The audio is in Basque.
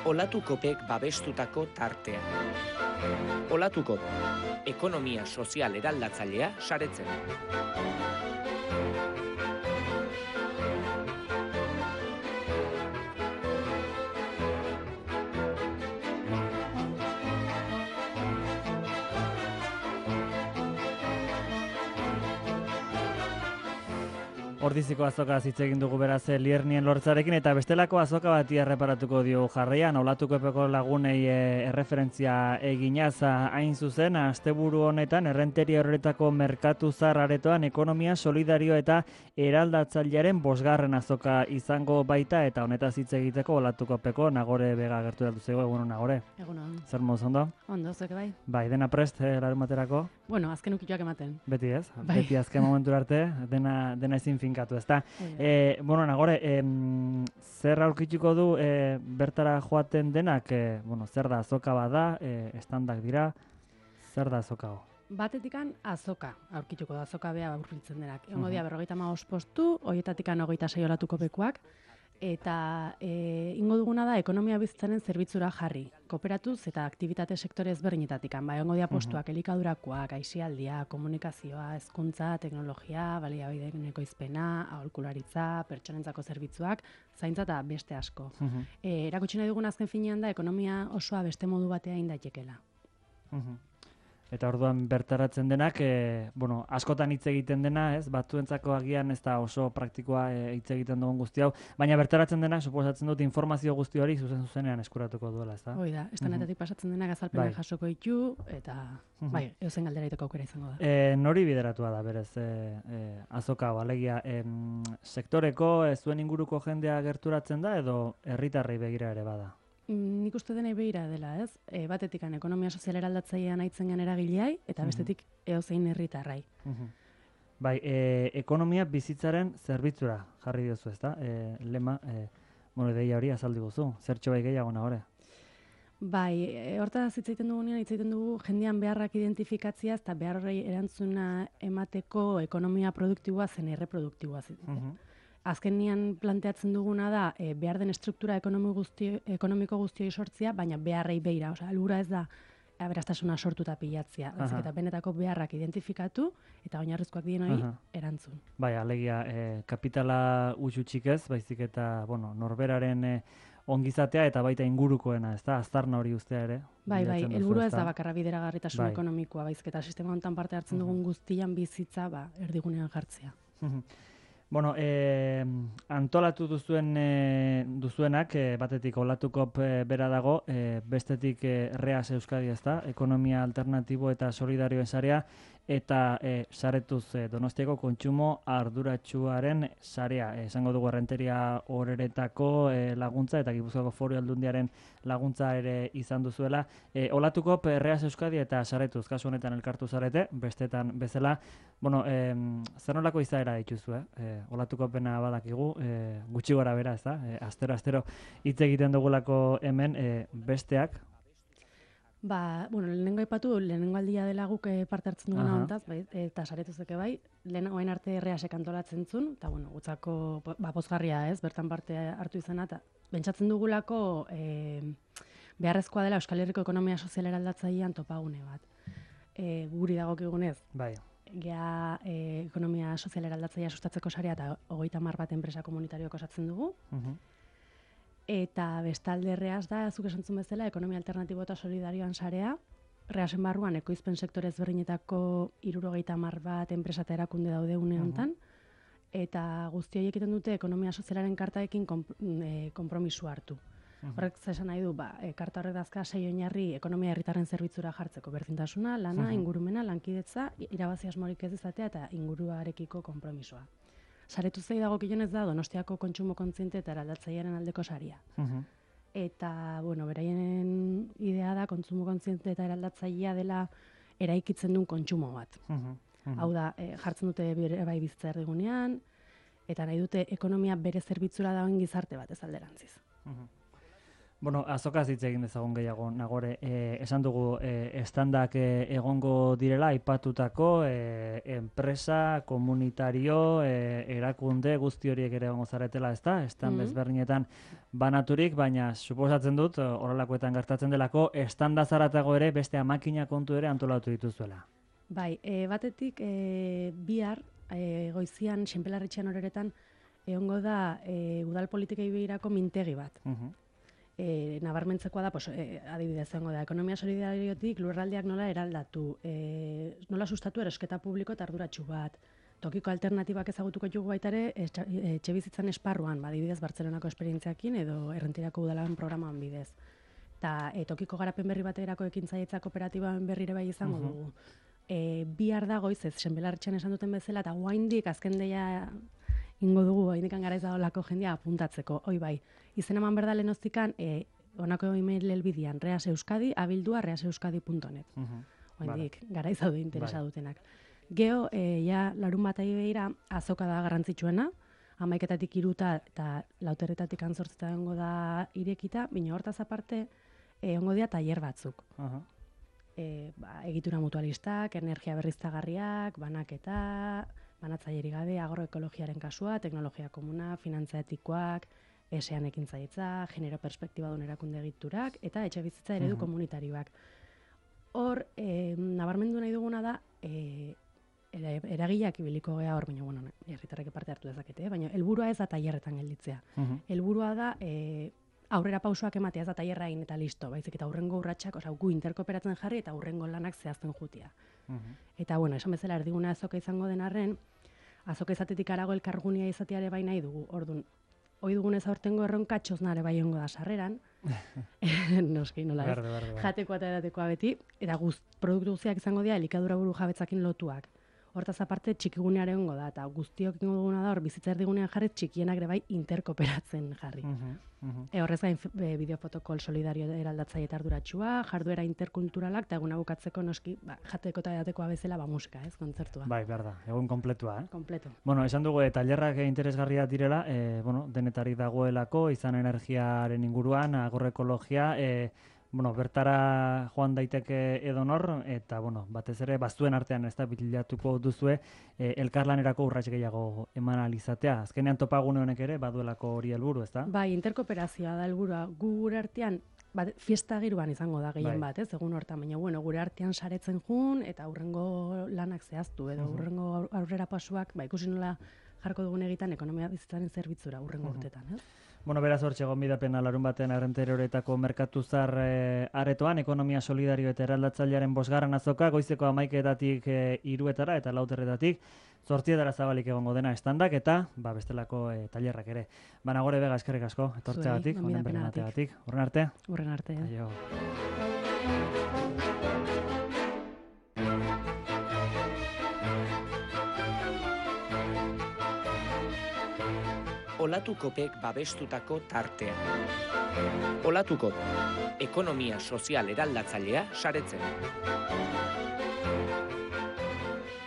Olatukopek babestutako tartea. Olatukop, ekonomia sozial eraldatzailea saretzen. Ordiziko azokaz hitz egin dugu beraz Liernien lortzarekin eta bestelako azoka bati erreparatuko dio jarraian Olatukopeko lagunei erreferentzia eginaz hain zuzen asteburu honetan errenteria horretako merkatu zahar aretoan ekonomia solidario eta eraldatzailearen 5. azoka izango baita eta honetaz hitz egiteko Olatukopeko Nagore Bega gerturatu zaigu. Egunon Nagore. Egunon. Zer moduz ondo? Ondo, zuek bai? Bai, dena prest larunbaterako? Bueno, azken ukituak ematen. Beti ez? Bai. Beti azken momentura arte dena ezin finkatu, ezta? Bueno, Nagore, zer aurkituko du bertara joaten denak? Zer da azoka bada, estandak dira, zer da azoka ho? Batetikan azoka aurkituko da, azoka bea aurkitzen denak. Egongo dia 55 postu, horietatikan 26 Olatukopekoak, eta ingo duguna da ekonomia bizitzaren zerbitzura jarri, kooperatuz eta aktibitate sektore ezberdinetatikan. Egongo dia postuak elikadurakoak, aisialdia, komunikazioa, hezkuntza, teknologia, baliabideen ekoizpena, aholkularitza, pertsonentzako zerbitzuak, zaintza eta beste asko. Erakutsi nahi dugun azken finean da ekonomia osoa beste modu batea egin daitekela. Eta orduan bertaratzen denak, askotan hitz egiten dena, ez? Batzuentzako agian ez da oso praktikoa hitz egiten dugun guzti hau, baina bertaratzen denak, suposatzen dut informazio guzti hori zuzenean eskuratuko duela, ez da? Hoi da, estanetatik pasatzen denak azalpenak jasoko ditu, eta eusen galdera itoko aukera izango da. Nori bideratua da, berez, azoka hau, alegia, sektoreko, zuen inguruko jendea gerturatzen da, edo herritarrei begira ere bada? Nik uste denei behira dela, ez? Batetikan ekonomia sozial eraldatzailean aitzen gen eragileai, eta bestetik eozein herritarrai. Bai, ekonomia bizitzaren zerbitzura jarri diozu, ezta? Lema, deia hori azaldi guzu, zertxo bai gehiago Nagore? Bai, hortaz hitz egiten dugu jendean beharrak identifikatziaz eta behar horrei erantzuna emateko ekonomia produktiboa zen erreproduktiboa zitzen. Azkenian planteatzen duguna da behar den estruktura ekonomiko guztioi sortzia, baina beharrei beira, helburua ez da aberastasuna sortu eta pilatzia, eta benetako beharrak identifikatu eta oinarrizkoak dien hori erantzun. Bai, alegia kapitala utxutxik ez, baizik eta norberaren ongizatea eta baita ingurukoena, ez da, aztarna hori ustea ere. Bai, helburua ez da bakarra bideragarritasun ekonomikoa, baizik eta sistema honetan parte hartzen dugun guztian bizitza erdigunean jartzea. Antolatu duzuenak, batetik Olatukop bera dago, bestetik Reas Euskadi, ezta, ekonomia alternatibo eta solidarioen sarea, eta saretuz Donostiako kontsumo arduratsuaren sarea. Esango dugu errenteria horeretako laguntza eta Gipuzkoako Foru Aldundiaren laguntza ere izan duzuela. Olatukop, Reas Euskadi eta saretuz, kasu honetan elkartu zarete, bestetan bezala. Zer nolako izaera dituzu, Olatukopena badakigu, gutxi gora bera, ez da? Astero hitz egiten dugulako hemen besteak. Lehenengo aipatu, lehenengo aldia dela guk parte hartzen duguna hontaz, eta saretuzeke bai, oain arte Reasek antolatzen zuen, eta gutzako pozgarria ez, bertan parte hartu izena, eta bentsatzen dugulako beharrezkoa dela Euskal Herriko ekonomia sozial eraldatzailean topagune bat. Guri dagokigunez. Bai. Gea ekonomia sozial eraldatzailea sustatzeko sarea eta 30 bat enpresa komunitarioak osatzen dugu. Eta bestalde Reas da, zuk esantzun bezala, ekonomia alternatibo eta solidarioan sarea. Reasen barruan ekoizpen sektore ezberdinetako 30 bat enpresa eta erakunde daude une honetan. Eta guzti horiek egiten dute ekonomia sozialaren kartaekin konpromisu hartu. Horrek esan nahi du, karta horrek dazka 6 oinarri ekonomia herritarren zerbitzura jartzeko. Berdintasuna, lana, ingurumena, lankidetza, irabazi asmorik ez izatea eta inguruarekiko konpromisoa. Saretu zei dagokionez da Donostiako kontsumo kontziente eta eraldatzailearen aldeko saria. Eta, beraien idea da kontsumo kontziente eta eraldatzailea dela eraikitzen duen kontsumo bat. Hau da, jartzen dute bai bizitza erdigunean, eta nahi dute ekonomia bere zerbitzura dagoen gizarte bat ez alderantziz. Bueno, azokaz hitz egin dezagun gehiago, Nagore. Esan dugu, estandak egongo direla, aipatutako enpresa, komunitario, erakunde, guzti horiek ere egongo zaretela, ezta? Estan bezberdinetan banaturik, baina suposatzen dut, horrelakoetan gertatzen delako, estanda zaratago ere beste makina kontu ere antolatu dituzuela. Bai, batetik bihar, goizian, Xenpelarretxean horeretan, egongo da udal politikei begirako mintegi bat. Nabarmentzekoa da, adibidez egongo da, ekonomia solidariotik lurraldeak nola eraldatu, nola sustatu erosketa publiko eta arduratsu bat, tokiko alternatibak ezagutuko dugu baita ere, etxebizitzan esparruan, adibidez Bartzelonako esperientziakin edo Errentirako udalan programan bidez. Eta tokiko garapen berri baterako ekintzailtza kooperatibaen berrire bai izango dugu. Bihar da goiz ez, Xenpelarretxean esan duten bezala, eta guaindik azken deia ingo dugu, haindikan garaiz daolako jendia apuntatzeko, hoi bai. Izen eman berda lehenoztikan, honako email helbidian, reaseuskadi@reaseuskadi.net. Haindik garaiz daude interesa dutenak. Geo, larun bat behira, azoka da garrantzitsuena, 11:00 3 eta 4:00 8:00 egongo da irekita, baina hortaz aparte, egongo dira tailer batzuk. Egitura mutualistak, energia berriztagarriak, banaketa, banatzailerik gabe, agroekologiaren kasua, teknologia komuna, finantza etikoak, esean ekintzailtza, genero perspektibadun erakunde egiturak, eta etxebizitza eredu komunitarioak. Hor, nabarmendu nahi duguna da, eragileak ibiliko gea hor, baina, herritarrek parte hartu dezakete, baina helburua ez da tailerretan gelditzea. Helburua da, aurrera pausoak ematea, ez da tailerra egin eta listo, baizik eta aurrengo urratsak, gu interkooperatzen jarri eta aurrengo lanak zehazten jutia. Eta, esan bezala erdiguna azoka izango den arren, azoka izatetik arago elkargunia izateare bai nahi dugu. Orduan, hoi dugunez aurtengo erronka txosnare bai ongo da sarreran, noski nola ez, jatekoa eta edatekoa beti, eta produktu guztiak izango dira elikadura buru jabetzakin lotuak. Hortaz aparte txikigunearen ongo da, eta guztiok ingo duguna da hor bizitza erdigunean jarri txikienak ere bai interkooperatzen jarri. Horrez gain bideofotokol solidario eraldatzaile eta arduratsua, jarduera interkulturalak eta eguna bukatzeko noski jateko eta edatekoa bezala musika, kontzertua. Bai, behar da, egun kompletua, Kompleto. Esan dugu tailerrak interesgarriak direla, denetarik dagoelako, izan energiaren inguruan, agroekologia, bertara joan daiteke edonor, eta, batez ere, bazuen artean ez da bilatuko duzue, elkarlanerako urrats gehiago eman alizatea. Azkenean topagune honek ere, baduelako hori helburu, ez da? Bai, interkooperazioa da helburua. Gure artean, fiesta giroan izango da gehien bat, egun hortan, baina, gure artean saretzen jun, eta hurrengo lanak zehaztu, edo hurrengo aurrera pasuak, ikusi nola jarko dugun egitan ekonomia bizitzaren zerbitzura hurrengo urtetan, Beraz hortxe gonbidapena larun batean Errenteroretako merkatuzar aretoan, ekonomia solidario eta eraldatzailearen 5. azoka, goizeko 11:00 3:00 eta 4:00 8:00 zabalik egongo dena estandak eta bestelako tailerrak ere. Nagore Vega, eskerrik asko, etortzeagatik, honen berremateagatik. Horren arte? Horren arte. Aio. Olatukopek babestutako tartea. Olatukop, ekonomia sozial eraldatzailea saretzen.